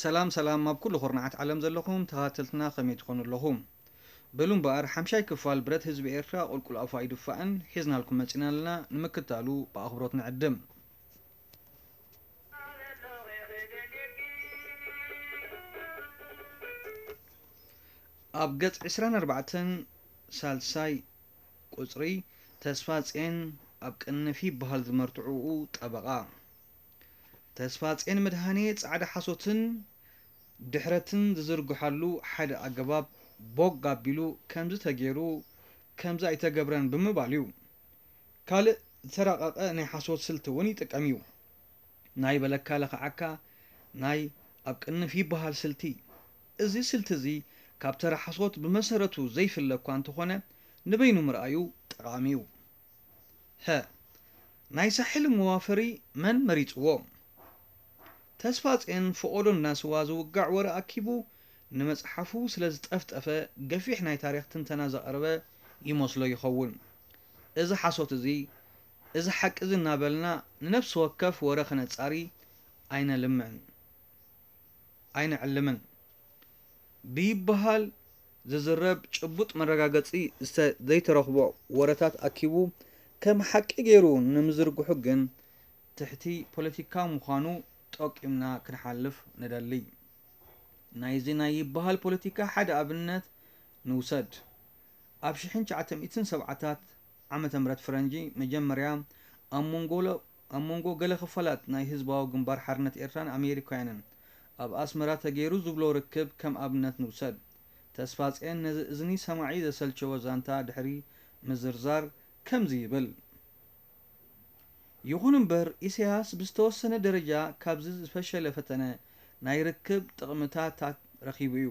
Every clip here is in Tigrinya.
ሰላም ሰላም ኣብ ኩሉ ኩርናዓት ዓለም ዘለኹም ተኸታተልትና ከመይ ትኾኑ ኣለኹም? በሉ እምበኣር ሓምሻይ ክፋል ብረት ህዝቢ ኤርትራ ቁልቁል ኣፋ ኣይድፋእን ሒዝናልኩም መጺና ኣለና፣ ንምክታሉ ብኣኽብሮት ንዕድም። ኣብ ገጽ ዕስራን ኣርባዕተን ሳልሳይ ቁጽሪ ተስፋጽዮን ኣብ ቅንፍ ይበሃል ዝመርትዑኡ ጠበቓ። ተስፋጽዮን መድሃኔ ጻዕዳ ሓሶትን ድሕረትን ዝዝርግሓሉ ሓደ ኣገባብ ቦግ ኣቢሉ ከምዚ ተገይሩ ከምዚ ኣይተገብረን ብምባል እዩ። ካልእ ዝተራቐቐ ናይ ሓሶት ስልቲ እውን ይጥቀም እዩ። ናይ በለካ ለኽዓካ ናይ ኣብ ቅንፍ ይበሃል ስልቲ። እዚ ስልቲ እዚ ካብ ተራ ሓሶት ብመሰረቱ ዘይፍለ እኳ እንተኾነ ንበይኑ ምርኣዩ ጠቓሚ እዩ። ሀ። ናይ ሳሕል መዋፈሪ መን መሪጽዎ? ተስፋጽዮን ፈቖዶ እንዳስዋ ዝውጋዕ ወረ ኣኪቡ ንመጽሓፉ ስለ ዝጠፍጠፈ ገፊሕ ናይ ታሪኽ ትንተና ዘቕረበ ይመስሎ ይኸውን። እዚ ሓሶት እዚ፣ እዚ ሓቂ እዚ እናበልና ንነፍሲ ወከፍ ወረ ክነጻሪ ኣይነልምዕን። ኣይንዕልምን። ብይበሃል ዝዝረብ ጭቡጥ መረጋገጺ ዝተ ዘይተረኽቦ ወረታት ኣኪቡ ከም ሓቂ ገይሩ ንምዝርግሑ ግን ትሕቲ ፖለቲካ ምዃኑ ጠቂምና ክንሓልፍ ንደሊ። ናይዚ ናይ ይበሃል ፖለቲካ ሓደ ኣብነት ንውሰድ። ኣብ ሽሕን ትሽዓተ ሚእትን ሰብዓታት ዓመተ ምህረት ፈረንጂ መጀመርያ ኣብ መንጎ ሎ ኣብ መንጎ ገለ ክፋላት ናይ ህዝባዊ ግንባር ሓርነት ኤርትራን ኣሜሪካውያንን ኣብ ኣስመራ ተገይሩ ዝብሎ ርክብ ከም ኣብነት ንውሰድ። ተስፋጽዮን ነዚ እዝኒ ሰማዒ ዘሰልቸወ ዛንታ ድሕሪ ምዝርዛር ከምዚ ይብል። ይኹን እምበር፣ ኢሳያስ ብዝተወሰነ ደረጃ ካብዚ ዝፈሸለ ፈተነ ናይ ርክብ ጥቕምታታት ረኺቡ እዩ።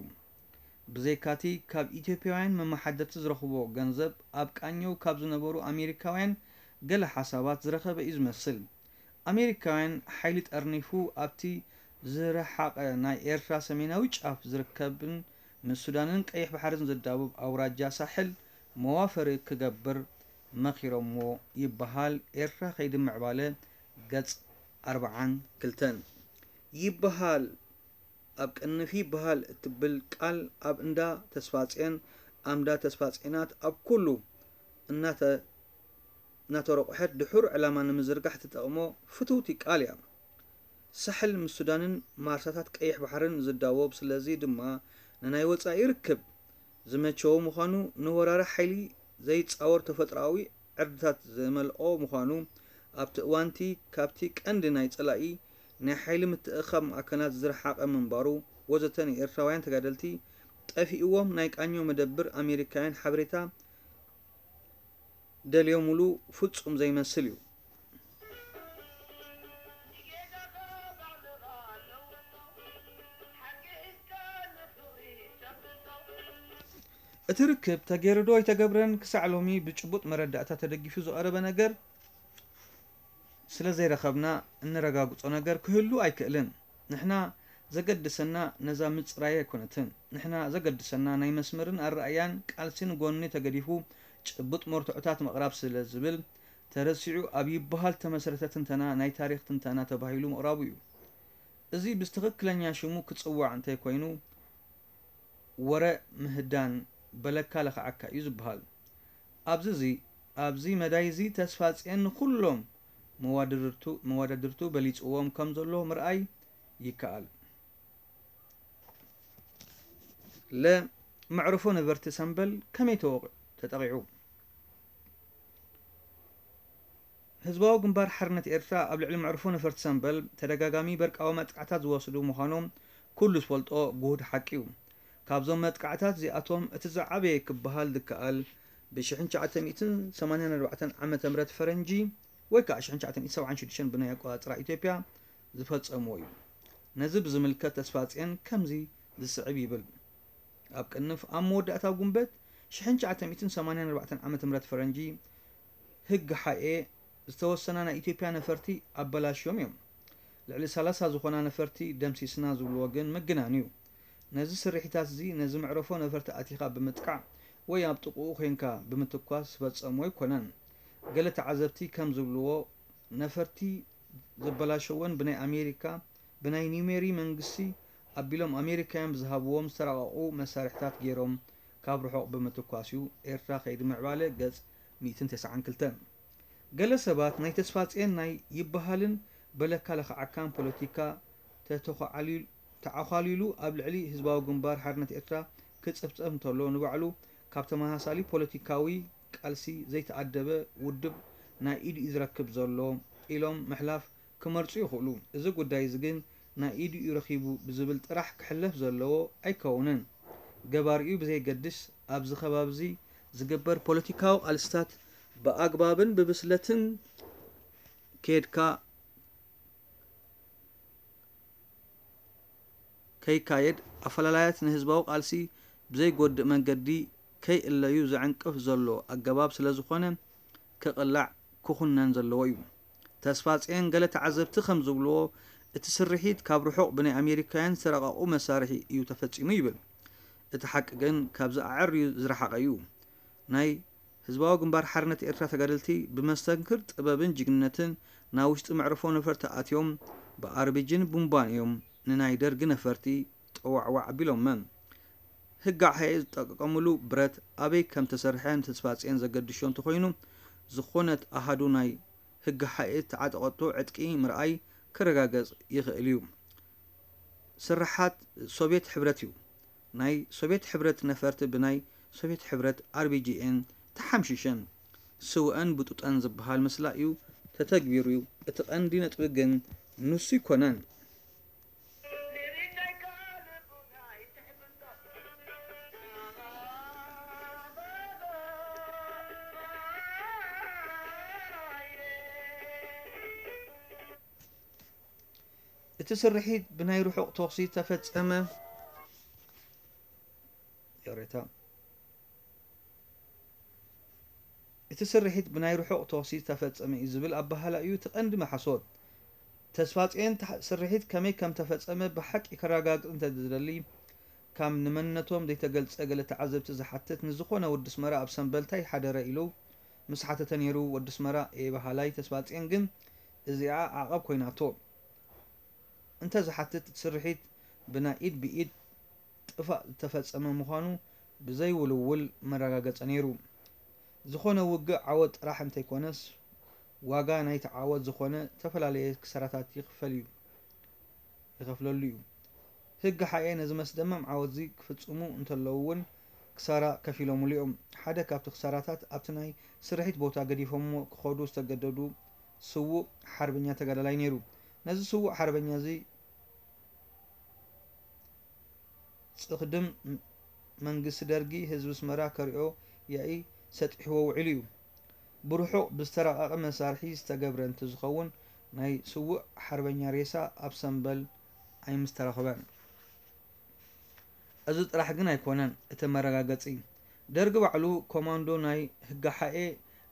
ብዘይካቲ ካብ ኢትዮጵያውያን መመሓደርቲ ዝረኽቦ ገንዘብ ኣብ ቃኘው ካብ ዝነበሩ ኣሜሪካውያን ገለ ሓሳባት ዝረኸበ እዩ ዝመስል። ኣሜሪካውያን ሓይሊ ጠርኒፉ ኣብቲ ዝረሓቐ ናይ ኤርትራ ሰሜናዊ ጫፍ ዝርከብን ምስ ሱዳንን ቀይሕ ባሕርን ዘዳውብ ኣውራጃ ሳሕል መዋፈሪ ክገብር መኺሮምዎ ይበሃል። ኤርትራ ከይዲ ምዕባለ ገጽ ኣርብዓን ክልተን ይበሃል። ኣብ ቅንፍ ይበሃል እትብል ቃል ኣብ እንዳ ተስፋጽዮን ኣምዳ ተስፋጽዮናት ኣብ ኩሉ እናተ እናተረቑሐት ድሑር ዕላማ ንምዝርጋሕ ትጠቕሞ ፍትውቲ ቃል እያ። ሳሕል ምስ ሱዳንን ማርሳታት ቀይሕ ባሕርን ዝዳወብ ስለዚ ድማ ንናይ ወጻኢ ርክብ ዝመቸዎ ምዃኑ ንወራሪ ሓይሊ ዘይጻወር ተፈጥሮኣዊ ዕርድታት ዝመልኦ ምዃኑ ኣብቲ እዋንቲ ካብቲ ቀንዲ ናይ ጸላኢ ናይ ሓይሊ ምትእኽኻብ ማእከላት ዝረሓቐ ምንባሩ ወዘተ ንኤርትራውያን ተጋደልቲ ጠፊእዎም ናይ ቃኘው መደብር ኣሜሪካውያን ሓበሬታ ደልዮምሉ ፍጹም ዘይመስል እዩ። እቲ ርክብ ተገይሩ ዶ ኣይተገብረን ክሳዕ ሎሚ ብጭቡጥ መረዳእታ ተደጊፉ ዝቐረበ ነገር ስለ ዘይረኸብና እነረጋግጾ ነገር ክህሉ ኣይክእልን። ንሕና ዘገድሰና ነዛ ምጽራይ ኣይኮነትን። ንሕና ዘገድሰና ናይ መስመርን ኣረኣእያን ቃልሲን ጎኒ ተገዲፉ ጭቡጥ መርትዖታት ምቕራብ ስለ ዝብል ተረሲዑ ኣብ ይበሃል ተመስረተ ትንተና ናይ ታሪኽ ትንተና ተባሂሉ ምቕራቡ እዩ። እዚ ብትኽክለኛ ሽሙ ክጽዋዕ እንተይኮይኑ ወረ ምህዳን በለካ ለኽዓካ እዩ ዝበሃል። ኣብዚ እዚ ኣብዚ መዳይ እዚ ተስፋጽዮን ንኹሎም መዋድርቱ መዋዳድርቱ በሊጽዎም ከም ዘሎ ምርኣይ ይከኣል። ለ መዕርፎ ነበርቲ ሰምበል ከመይ ተወቕ ተጠቒዑ? ህዝባዊ ግንባር ሓርነት ኤርትራ ኣብ ልዕሊ መዕርፎ ነፈርቲ ሰምበል ተደጋጋሚ በርቃዊ መጥቃዕታት ዝወስዱ ምዃኖም ኩሉ ዝፈልጦ ግሁድ ሓቂ እዩ። ካብዞም መጥቃዕታት እዚኣቶም እቲ ዝዓበየ ክበሃል ዝከኣል ብ ሽሕን ትሽዓተ ሚእትን ሰማንያን ኣርባዕተን ዓመተ ምህረት ፈረንጂ ወይ ከዓ ሽሕን ትሽዓተ ሚእትን ሰብዓን ሽዱሽተን ብናይ ኣቆጻጽራ ኢትዮጵያ ዝፈጸምዎ እዩ። ነዚ ብዝምልከት ተስፋጽዮን ከምዚ ዝስዕብ ይብል። ኣብ ቅንፍ ኣብ መወዳእታ ጉንበት ሽሕን ትሽዓተ ሚእትን ሰማንያን ኣርባዕተን ዓመተ ምህረት ፈረንጂ ህግ ሓኤ ዝተወሰና ናይ ኢትዮጵያ ነፈርቲ ኣበላሽዮም እዮም። ልዕሊ ሰላሳ ዝኾና ነፈርቲ ደምሲስና ዝብልዎ ግን ምግናን እዩ። ነዚ ስርሒታት እዚ ነዚ መዕረፎ ነፈርቲ ኣቲኻ ብምጥቃዕ ወይ ኣብ ጥቕኡ ኮይንካ ብምትኳስ ዝፈጸሞ ኣይኮነን። ገለ ተዓዘብቲ ከም ዝብልዎ ነፈርቲ ዘበላሸወን ብናይ ኣሜሪካ ብናይ ኒሜሪ መንግስቲ ኣቢሎም ኣሜሪካውያን ብዝሃብዎም ዝተራቐቑ መሳርሕታት ገይሮም ካብ ርሑቕ ብምትኳስ እዩ ኤርትራ ከይዲ ምዕባለ ገጽ ሚእትን ተስዓን ክልተን። ገለ ሰባት ናይ ተስፋጽዮን ናይ ይበሃልን በለካ ለኽዓካን ፖለቲካ ተተዃዓሊሉ ተዓዃሊሉ ኣብ ልዕሊ ህዝባዊ ግንባር ሓርነት ኤርትራ ክጽፍጸፍ እንተሎ፣ ንባዕሉ ካብ ተመሳሳሊ ፖለቲካዊ ቃልሲ ዘይተኣደበ ውድብ ናይ ኢዱ እዩ ዝረክብ ዘሎ ኢሎም ምሕላፍ ክመርጹ ይኽእሉ። እዚ ጉዳይ እዚ ግን ናይ ኢዱ እዩ ረኺቡ ብዝብል ጥራሕ ክሕለፍ ዘለዎ ኣይከውንን። ገባሪኡ ብዘየገድስ፣ ኣብዚ ከባቢ እዚ ዝግበር ፖለቲካዊ ቃልስታት ብኣግባብን ብብስለትን ከይድካ ከይካየድ፣ ኣፈላላያት ንህዝባዊ ቃልሲ ብዘይጎድእ መንገዲ ከይእለዩ ዘዕንቅፍ ዘሎ ኣገባብ ስለዝኾነ፣ ክቕላዕ ክኹነን ዘለዎ እዩ። ተስፋጽዮን ገለ ተዓዘብቲ ከም ዝብልዎ፣ እቲ ስርሒት ካብ ርሑቕ ብናይ ኣሜሪካውያን ዝተራቐቑ መሳርሒ እዩ ተፈጺሙ ይብል። እቲ ሓቂ ግን ካብዚ ኣዐርዩ ዝረሓቐ እዩ። ናይ ህዝባዊ ግንባር ሓርነት ኤርትራ ተጋደልቲ ብመስተንክር ጥበብን ጅግንነትን ናብ ውሽጢ መዕርፎ ነፈርቲ ኣትዮም ብኣርቢጅን ቡምባን እዮም ንናይ ደርጊ ነፈርቲ ጠዋዕዋዕ ኣቢሎመን። ህግሓኤ ዝጠቀቀምሉ ብረት ኣበይ ከም ተሰርሐ ንተስፋጽዮን ዘገድሾ እንተኾይኑ፣ ዝኾነት ኣሃዱ ናይ ህግሓኤ ዝተዓጠቐቶ ዕጥቂ ምርኣይ ክረጋገጽ ይኽእል እዩ። ስርሓት ሶቭየት ሕብረት እዩ። ናይ ሶቭየት ሕብረት ነፈርቲ ብናይ ሶቭየት ሕብረት ኣርቢጂኤን ተሓምሺሸን፣ ስውአን ብጡጠን ዝበሃል ምስላ እዩ ተተግቢሩ እዩ። እቲ ቀንዲ ነጥቢ ግን ንሱ ኣይኮነን። እቲ ስርሒት ብናይ ርሑቕ ተኹሲ ተፈጸመ። ይቕሬታ። እቲ ስርሒት ብናይ ርሑቕ ተኹሲ ዝተፈጸመ እዩ ዝብል ኣበሃህላ እዩ እቲ ቀንዲ መሓሶት። ተስፋጽዮን ስርሒት ከመይ ከም ተፈጸመ ብሓቂ ከረጋግጽ እንተ ዝደሊ፣ ካብ ንመንነቶም ዘይተገልጸ ገለ ተዓዘብቲ ዝሓትት ንዝኾነ ወዲ ኣስመራ ኣብ ሰምበል ታይ ሓደረ ኢሉ ምስ ሓተተ ነይሩ። ወዲ ኣስመራ እየ በሃላይ ተስፋጽዮን ግን እዚኣ ዓቐብ ኮይናቶ። እንተ ዝሓትት እቲ ስርሒት ብናይ ኢድ ብኢድ ጥፋእ ዝተፈጸመ ምዃኑ ብዘይውልውል መረጋገጸ ነይሩ። ዝኾነ ውግእ ዓወት ጥራሕ እንተይኮነስ፣ ዋጋ ናይቲ ዓወት ዝኾነ ዝተፈላለየ ክሳራታት ይኽፈል እዩ፣ ይኸፍለሉ እዩ። ህግሓኤ ነዚ መስደመም ዓወትዚ ክፍጽሙ እንተለዉ እውን ክሳራ ከፊሎምሉ እዮም። ሓደ ካብቲ ክሳራታት ኣብቲ ናይ ስርሒት ቦታ ገዲፎምዎ ክኸዱ ዝተገደዱ ስዉእ ሓርበኛ ተጋዳላይ ነይሩ። ነዚ ስዉእ ሓርበኛ እዚ ጽኽድም መንግስቲ ደርጊ ህዝቢ ኣስመራ ከሪኦ ያኢ ሰጢሕዎ ውዒሉ እዩ። ብርሑቕ ብዝተራቐቐ መሳርሒ ዝተገብረ እንትዝኸውን ናይ ስዉእ ሓርበኛ ሬሳ ኣብ ሰምበል ኣይምስተረኽበን። እዚ ጥራሕ ግን ኣይኮነን እቲ መረጋገጺ። ደርጊ ባዕሉ ኮማንዶ ናይ ህግሓኤ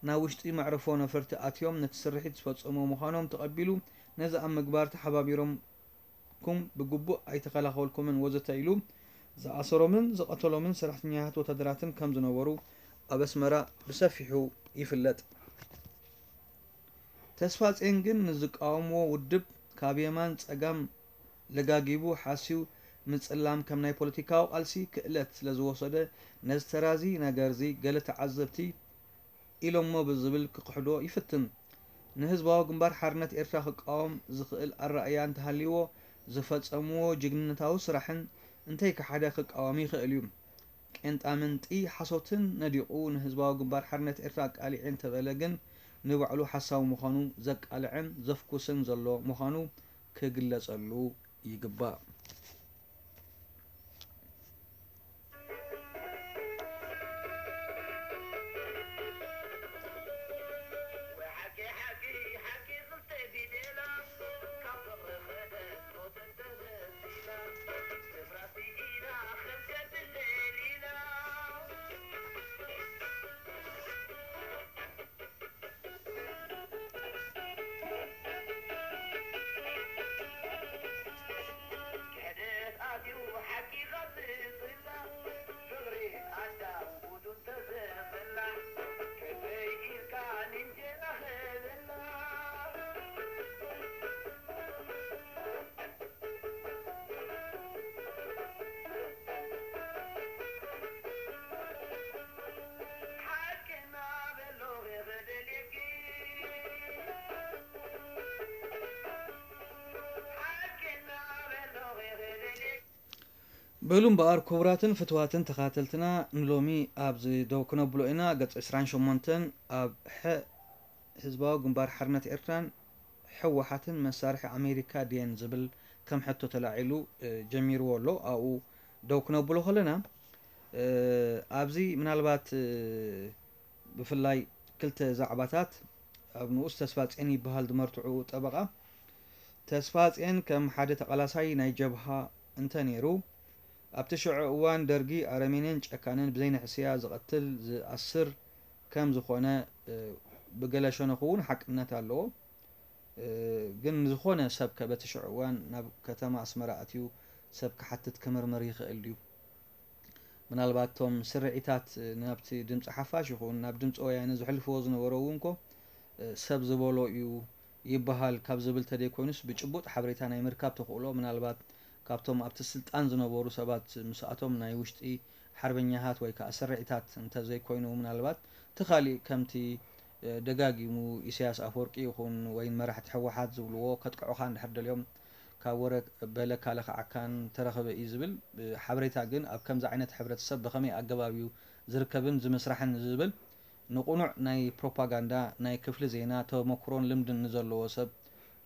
ናብ ውሽጢ መዕርፎ ነፈርቲ ኣትዮም ነቲ ስርሒት ዝፈጸሙ ምዃኖም ተቐቢሉ ነዚ ኣብ ምግባር ተሓባቢሮም ኩም ብግቡእ ኣይተኸላኸልኩምን ወዘተ ኢሉ ዝኣሰሮምን ዝቐተሎምን ሰራሕተኛታት ወታደራትን ከም ዝነበሩ ኣብ ኣስመራ ብሰፊሑ ይፍለጥ። ተስፋጽዮን ግን ንዝቃወምዎ ውድብ ካብ የማን ጸጋም ለጋጊቡ ሓስዩ ምጽላም ከም ናይ ፖለቲካዊ ቃልሲ ክእለት ስለ ዝወሰደ ነዚ ተራዚ ነገርዚ ገለ ተዓዘብቲ ኢሎሞ ብዝብል ክኽሕዶ ይፍትን። ንህዝባዊ ግንባር ሓርነት ኤርትራ ክቃወም ዝኽእል ኣረኣእያ እንተሃልይዎ፣ ዝፈጸምዎ ጅግንነታዊ ስራሕን እንተይከሓደ ክቃወም ይኽእል እዩ። ቄንጣምንጢ ሓሶትን ነዲቑ ንህዝባዊ ግንባር ሓርነት ኤርትራ ኣቃሊዐ እንተበለ ግን፣ ንባዕሉ ሓሳዊ ምዃኑ ዘቃልዕን ዘፍኩስን ዘሎ ምዃኑ ክግለጸሉ ይግባእ። በሉ እምበኣር፣ ክቡራትን ፍትዋትን ተኸታተልትና፣ ንሎሚ ኣብዚ ደው ክነብሎ ኢና። ገጽ ዕስራን ሸሞንተን፣ ኣብ ሐ ህዝባዊ ግንባር ሓርነት ኤርትራን ህወሓትን መሳርሒ ኣሜሪካ ድየን ዝብል ከም ሕቶ ተላዒሉ፣ እ፣ ጀሚርዎ ኣሎ። ኣብኡ ደው ክነብሎ ከለና፣ እ፣ ኣብዚ ምናልባት፣ እ፣ ብፍላይ ክልተ ዛዕባታት፣ ኣብ ንኡስ ተስፋጽዮን ይበሃል ዝመርትዑ ጠበቓ፣ ተስፋጽዮን ከም ሓደ ተቓላሳይ ናይ ጀብሃ እንተ ነይሩ፣ ኣብቲ ሽዑ እዋን ደርጊ ኣረሜንን ጨካንን ብዘይንሕስያ ዝቐትል፣ ዝኣስር ከም ዝኾነ፣ እ፣ ብገለ ሸነኹ እውን ሓቅነት ኣለዎ። እ፣ ግን ዝኾነ ሰብ ከ በቲ ሽዑ እዋን ናብ ከተማ ኣስመራ ኣትዩ ሰብ ክሓትት ክምርምር ይኽእል ድዩ? ምናልባት እቶም ስርዒታት ናብቲ ድምፂ ሓፋሽ ይኹን ናብ ድምፂ ወያነ ዘሕልፍዎ ዝነበሩ እውን እኮ፣ እ፣ ሰብ ዝበሎ እዩ ይበሃል ካብ ዝብል ተደይኮይኑስ ብጭቡጥ ሓበሬታ ናይ ምርካብ ተኽእሎ ምናልባት ካብቶም ኣብቲ ስልጣን ዝነበሩ ሰባት ምስኣቶም ናይ ውሽጢ ሓርበኛታት ወይ ከዓ ስርዒታት እንተዘይኮይኑ ምናልባት እቲ ካሊእ ከምቲ፣ እ፣ ደጋጊሙ ኢሳያስ ኣፈወርቂ ይኹን ወይን መራሕቲ ህወሓት ዝብልዎ ከጥቅዑኻ እንድሕር ደልዮም ካብ ወረ በለካ ለኽዓካን ተረኸበ እዩ ዝብል፣ እ፣ ሓበሬታ ግን ኣብ ከምዚ ዓይነት ሕብረተሰብ ብኸመይ ኣገባብ እዩ ዝርከብን ዝምስራሕን ዝብል ንቑኑዕ ናይ ፕሮፓጋንዳ ናይ ክፍሊ ዜና ተመክሮን ልምድን ንዘለዎ ሰብ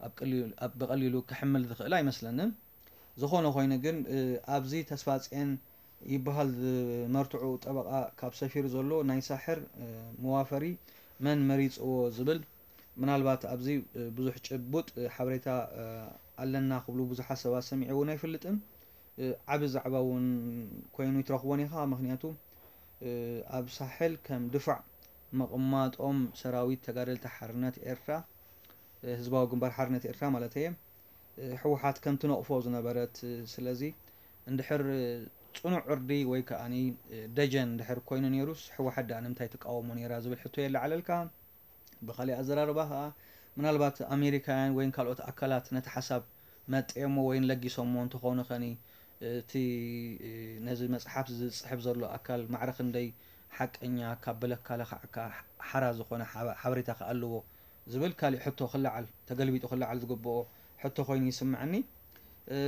ኣብ ቀሊሉ፣ ኣብ ብቐሊሉ ክሕምል ዝኽእል ኣይመስለንን። ዝኾነ ኮይኑ ግን፣ እ፣ ኣብዚ ተስፋጽዮን ይበሃል ዝመርትዑ ጠበቓ ካብ ሰፊሩ ዘሎ ናይ ሳሕር፣ እ፣ መዋፈሪ መን መሪጽዎ ዝብል ምናልባት ኣብዚ፣ እ፣ ብዙሕ ጭቡጥ፣ እ፣ ሓበሬታ፣ እ፣ ኣለና ክብሉ ብዙሓት ሰባት ሰሚዐ እውን ኣይፈልጥን። እ፣ ዓቢ ዛዕባ እውን ኮይኑ ይትረኽቦን ኢኻ። ምኽንያቱ፣ እ፣ ኣብ ሳሕል ከም ድፋዕ ምቕማጦም ሰራዊት ተጋደልቲ ሓርነት ኤርትራ፣ እ፣ ህዝባዊ ግንባር ሓርነት ኤርትራ ማለት እየ፣ እ፣ ህወሓት ከም ትነቕፎ ዝነበረት፣ እ፣ ስለዚ እንድሕር፣ እ፣ ጽኑዕ ዕርዲ ወይ ከኣኒ፣ እ፣ ደጀን እንድሕር ኮይኑ ነይሩስ ህወሓት ደኣ ንምንታይ ትቃወሞ ነይራ ዝብል ሕቶ የለዓለልካ። ብኻሊእ ኣዘራርባ ከኣ ምናልባት ኣሜሪካውያን ወይን ካልኦት ኣካላት ነቲ ሓሳብ መጤሞ ወይን ለጊሶሞ እንተኾኑ ኸኒ፣ እቲ፣ እ፣ ነዚ መጽሓፍ ዝጽሕፍ ዘሎ ኣካል ማዕረ ክንደይ ሓቀኛ ካብ በለካ ለኽዓካ ሓራ ዝኾነ ሓበ-፣ ሓበሬታ ከ ኣለዎ ዝብል ካሊእ ሕቶ ክለዓል፣ ተገልቢጡ ክለዓል ዝግብኦ ሕቶ ኮይኑ ይስምዐኒ። እ፣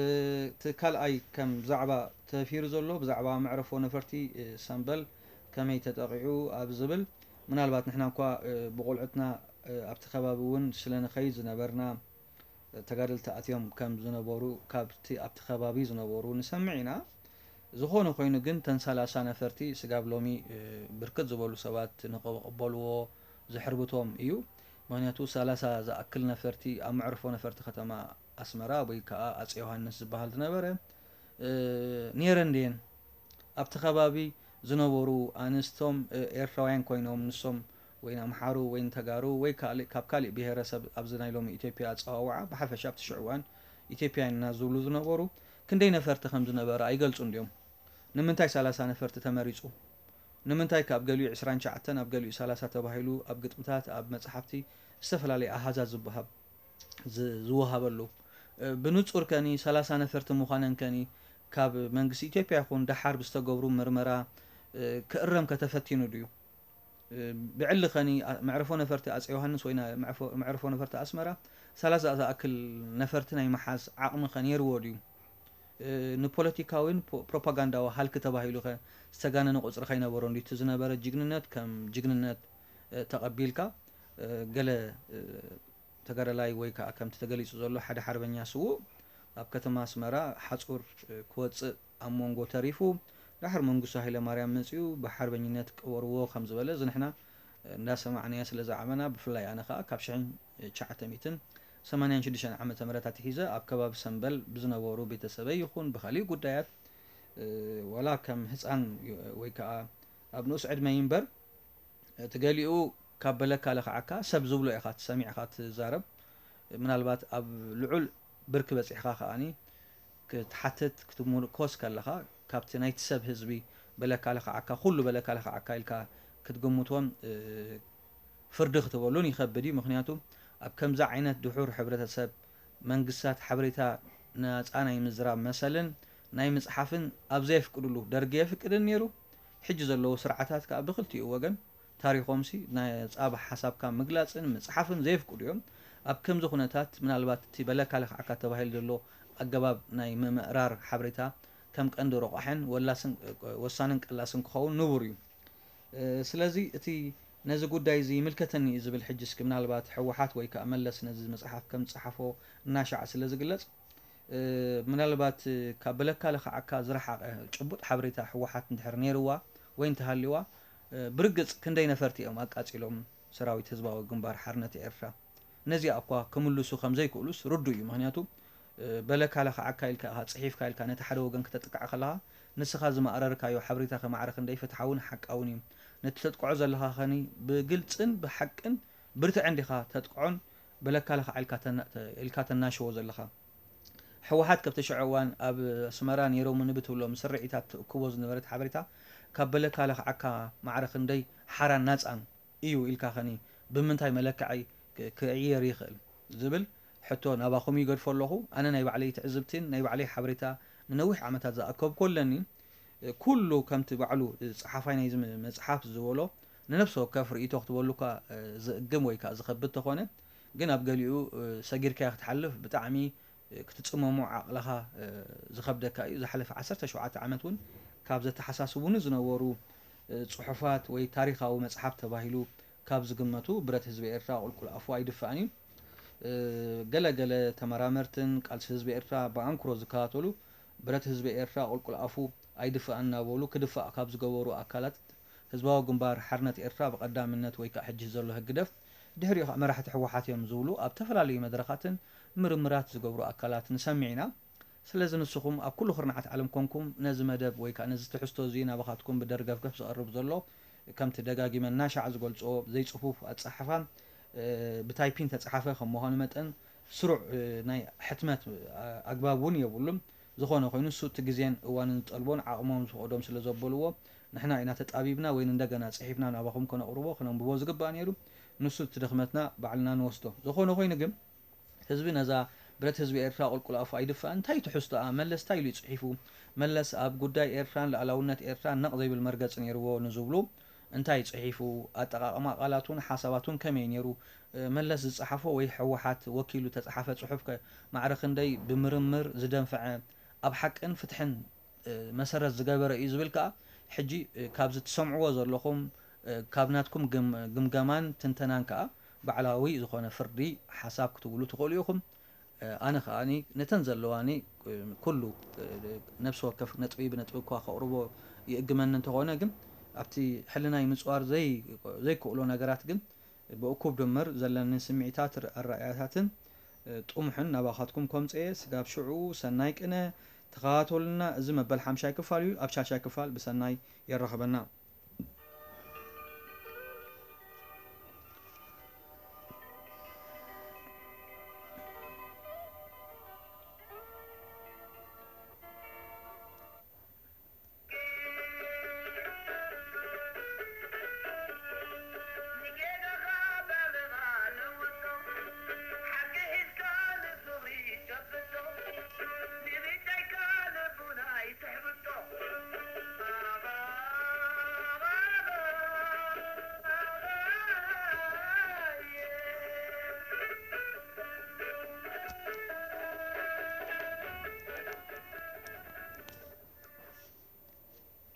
እቲ ካልኣይ ከም ዛዕባ ተፊሩ ዘሎ ብዛዕባ መዕረፎ ነፈርቲ፣ እ፣ ሰምበል ከመይ ተጠቒዑ ኣብ ዝብል፣ ምናልባት ንሕና እኳ፣ እ፣ ብቆልዑትና፣ እ፣ ኣብቲ ከባቢ እውን ስለ ንኸይድ ዝነበርና፣ እ፣ ተጋደልቲ ኣትዮም ከም ዝነበሩ ካብቲ ኣብቲ ከባቢ ዝነበሩ ንሰምዕ ኢና። ዝኾነ ኮይኑ ግን እተን ሰላሳ ነፈርቲ ስጋብ ሎሚ፣ እ፣ ብርክት ዝበሉ ሰባት ንኽቕበልዎ ዝሕርብቶም እዩ። ምኽንያቱ ሰላሳ ዝኣክል ነፈርቲ ኣብ መዕርፎ ነፈርቲ ከተማ ኣስመራ ወይ ከዓ ኣጼ ዮሃንስ ዝበሃል ዝነበረ፣ እ፣ ነይረን ድየን? ኣብቲ ከባቢ ዝነበሩ ኣንስቶም፣ እ፣ ኤርትራውያን ኮይኖም ንሶም ወይ ንኣምሓሩ ወይ ንተጋሩ ወይ ካልእ፣ ካብ ካልእ ብሄረሰብ ኣብዚ ናይ ሎሚ ኢትዮጵያ ኣጸዋውዓ ብሓፈሻ ኣብቲ ሽዑ እዋን ኢትዮጵያውያን ኢና ዝብሉ ዝነበሩ ክንደይ ነፈርቲ ከም ዝነበረ ኣይገልጹን ድዮም? ንምንታይ ሰላሳ ነፈርቲ ተመሪጹ? ንምንታይ ካብ ገሊኡ ዕስራን ትሽዓተን ኣብ ገሊኡ ሰላሳ ተባሂሉ ኣብ ግጥምታት ኣብ መጽሓፍቲ ዝተፈላለየ ኣሃዛት ዝበሃብ ዝ-፣ ዝወሃበሉ፣ እ፣ ብንጹር ከኒ ሰላሳ ነፈርቲ ምዃነን ከኒ ካብ መንግስቲ ኢትዮጵያ ይኹን ደሓር ብዝተገብሩ ምርመራ፣ እ፣ ክእረም ከተፈቲኑ ድዩ? እ፣ ብዕሊ ከኒ ኣ-፣ መዕርፎ ነፈርቲ ኣጼ ዮሃንስ ወይ ና-፣ መዕፎ-፣ መዕርፎ ነፈርቲ ኣስመራ ሰላሳ ዝኣክል ነፈርቲ ናይ ምሓዝ ዓቕሚ ከ ነይርዎ ድዩ? እ፣ ንፖለቲካዊን ፖ-፣ ፕሮፓጋንዳዊ ሃልኪ ተባሂሉ ከ ዝተጋነነ ቁጽሪ ከይነበሮ እንዲ እቲ ዝነበረ ጅግንነት ከም ጅግንነት፣ እ፣ ተቐቢልካ፣ እ፣ ገለ፣ እ፣ ተጋዳላይ ወይ ከኣ ከምቲ ተገሊጹ ዘሎ ሓደ ሓርበኛ ስዉእ ኣብ ከተማ ኣስመራ ሓጹር፣ እ፣ ክወጽእ ኣብ መንጎ ተሪፉ፣ ድሓር መንግስቱ ሃይለማርያም መጺኡ ብሓርበኝነት ቅበርዎ ከም ዝበለ እዚ ንሕና እንዳሰማዕናዮ ስለ ዝዓበና፣ ብፍላይ ኣነ ከኣ ካብ ሽሕን ትሽዓተ ሚእትን ሰማንያን ሽዱሽተን ዓመተ ምህረት ኣትሒዘ ኣብ ከባቢ ሰምበል ብዝነበሩ ቤተሰበይ ይኹን ብኻልእ ጉዳያት፣ እ፣ ዋላ ከም ህጻን ወይ ከኣ ኣብ ንኡስ ዕድመይ እምበር፣ እቲ ገሊኡ ካብ በለካ ለኽዓካ ሰብ ዝብሎ ኢኻ ትሰሚዕኻ ትዛረብ። ምናልባት ኣብ ልዑል ብርኪ በጺሕካ ከኣኒ ክትሓትት ክትምርኮስ ከለኻ፣ ካብቲ ናይቲ ሰብ ህዝቢ በለካ ለኽዓካ፣ ኩሉ በለካ ለኽዓካ ኢልካ ክትግምቶን፣ እ፣ ፍርዲ ክትበሉን ይኸብድ እዩ። ምኽንያቱ ኣብ ከምዚ ዓይነት ድሑር ሕብረተሰብ መንግስታት ሓበሬታ ናጻ ናይ ምዝራብ መሰልን ናይ ምጽሓፍን ኣብ ዘየፍቅድሉ፣ ደርጊ የፍቅድን ነይሩ። ሕጂ ዘለዉ ስርዓታት ከኣ ብክልቲኡ ወገን ታሪኾምሲ ናይ ጻባ ሓሳብካ ምግላጽን ምጽሓፍን ዘየፍቅዱ እዮም። ኣብ ከምዚ ኩነታት ምናልባት እቲ በለካ ለኽዓካ ተባሂሉ ዘሎ ኣገባብ ናይ ምምእራር ሓበሬታ ከም ቀንዲ ረቋሕን ወላስን ወሳንን ቀላስን ክኸውን ንቡር እዩ። ስለዚ እቲ ነዚ ጉዳይ እዚ ይምልከተኒ እዩ ዝብል ሕጂ እስኪ ምናልባት ህወሓት ወይ ከዓ መለስ ነዚ መፅሓፍ ከም ዝፀሓፎ እናሻዕ ስለ ዝግለፅ ምናልባት ካብ በለካ ለኽዓካ ዝረሓቐ ጭቡጥ ሓበሬታ ህወሓት እንድሕር ነይርዋ ወይ እንተሃልዋ ብርግፅ ክንደይ ነፈርቲ እዮም ኣቃፂሎም ሰራዊት ህዝባዊ ግንባር ሓርነት ኤርትራ። ነዚኣ እኳ ክምልሱ ከም ዘይክእሉስ ርዱ እዩ። ምክንያቱ በለካ ለኽዓካ ኢልካ ኢኻ ፅሒፍካ ኢልካ ነቲ ሓደ ወገን ክተጥቅዕ ከለኻ ንስኻ ዝማእረርካዮ ሓበሬታ ከማዕረ ክንደይ ፍትሓውን ሓቃውን እዩ። ነቲ ተጥቅዖ ዘለኻ ኸኒ ብግልፅን ብሓቅን ብርትዕን ዲኻ ተጥቅዖን በለካ ለኽዓ ኢልካ ተና- ኢልካ ተናሽዎ ዘለኻ? ህወሓት ከብቲ ሽዑ እዋን ኣብ ኣስመራ ነይሮምኒ ብትብሎም ስርዒታት ትእክቦ ዝነበረት ሓበሬታ ካብ በለካ ለኽዓካ ማዕረ ክንደይ ሓራን ናፃን እዩ ኢልካ ኸኒ ብምንታይ መለክዒ ክ- ክዕየር ይኽእል ዝብል ሕቶ ናባኹም ይገድፎ ኣለኹ። ኣነ ናይ ባዕለይ ትዕዝብትን ናይ ባዕለይ ሓበሬታ ንነዊሕ ዓመታት ዝኣከብኩ ኣለኒ። ኩሉ ከምቲ ባዕሉ ጸሓፋይ ናይዚ መ- መጽሓፍ ዝበሎ ንነፍሲ ወከፍ ርእይቶ ክትበሉ እኳ ዝእግም ወይ ከዓ ዝኸብድ ተኾነ ግን ኣብ ገሊኡ ሰጊርካዮ ክትሓልፍ ብጣዕሚ ክትጽመሞ ዓቕልኻ ዝኸብደካ እዩ። ዝሓለፈ ዓሰርተ ሸውዓተ ዓመት እውን ካብ ዘተሓሳስቡኒ ዝነበሩ ጽሑፋት ወይ ታሪኻዊ መጽሓፍ ተባሂሉ ካብ ዝግመቱ ብረት ህዝቢ ኤርትራ ቁልቁል ኣፉ ኣይድፋእን እዩ። ገለ ገለ ተመራመርትን ቃልሲ ህዝቢ ኤርትራ ብኣንክሮ ዝከታተሉ ብረት ህዝቢ ኤርትራ ቁልቁል ኣፉ ኣይድፋእን እናበሉ ክድፋእ ካብ ዝገበሩ ኣካላት ህዝባዊ ግንባር ሓርነት ኤርትራ ብቐዳምነት ወይ ከዓ ሕጂ ዘሎ ህግደፍ ድሕሪኡ ከዓ መራሕቲ ህወሓት እዮም ዝብሉ ኣብ ዝተፈላለዩ መድረኻትን ምርምራት ዝገብሩ ኣካላት ንሰምዕ ኢና። ስለዚ ንስኹም ኣብ ኩሉ ኩርናዓት ዓለም ኮንኩም ነዚ መደብ ወይ ከዓ ነዚ ትሕዝቶ እዚ ናባኻትኩም ብደርገፍገፍ ዝቐርብ ዘሎ ከምቲ ደጋጊመ እናሻዕ ዝገልፅኦ ዘይፅፉፍ ኣፀሓሕፋ ብታይፒን ተፅሓፈ ከም ምዃኑ መጠን ስሩዕ ናይ ሕትመት ኣግባብ እውን የብሉን። ዝኾነ ኮይኑ እሱ እቲ ግዜን እዋንን ዝጠልቦን ዓቕሞም ዝፈቕዶም ስለ ዘበልዎ ንሕና ኢና ተጣቢብና ወይ እንደገና ፅሒፍና ናባኹም ከነቕርቦ ከነንብቦ ዝግባእ ነይሩ። ንሱ እቲ ድኽመትና ባዕልና ንወስዶ። ዝኾነ ኮይኑ ግን ህዝቢ ነዛ ብረት ህዝቢ ኤርትራ ቁልቁል ኣፉ ኣይድፋእን እንታይ ትሕዝቶኣ መለስ እንታይ ኢሉ እዩ ፅሒፉ? መለስ ኣብ ጉዳይ ኤርትራን ሉኣላውነት ኤርትራን ነቕ ዘይብል መርገፂ ነይርዎ ንዝብሉ እንታይ ፅሒፉ? ኣጠቓቕማ ቃላቱን ሓሳባቱን ከመይ ነይሩ? መለስ ዝፀሓፎ ወይ ህወሓት ወኪሉ ተፅሓፈ ፅሑፍ ከ ማዕረ ክንደይ ብምርምር ዝደንፈዐ ኣብ ሓቅን ፍትሕን መሰረት ዝገበረ እዩ ዝብል ከዓ ሕጂ ካብዚ ትሰምዕዎ ዘለኹም ካብ ናትኩም ግምገማን ትንተናን ከዓ ባዕላዊ ዝኾነ ፍርዲ ሓሳብ ክትብሉ ትኽእሉ ኢኹም። ኣነ ከዓ ነተን ዘለዋኒ ኩሉ ነብሲ ወከፍ ነጥቢ ብነጥቢ እኳ ከቕርቦ ይእግመኒ እንተኾነ ግን ኣብቲ ሕልናይ ምፅዋር ዘይክእሎ ነገራት ግን ብእኩብ ድምር ዘለኒ ስምዒታት ኣረኣእያታትን ጥሙሕን ናባኻትኩም ከምፅኤ ስጋብ ሽዑ ሰናይ ቅነ ተኸታተሉና። እዚ መበል ሓምሻይ ክፋል እዩ። ኣብ ሻሻይ ክፋል ብሰናይ የራኽበና።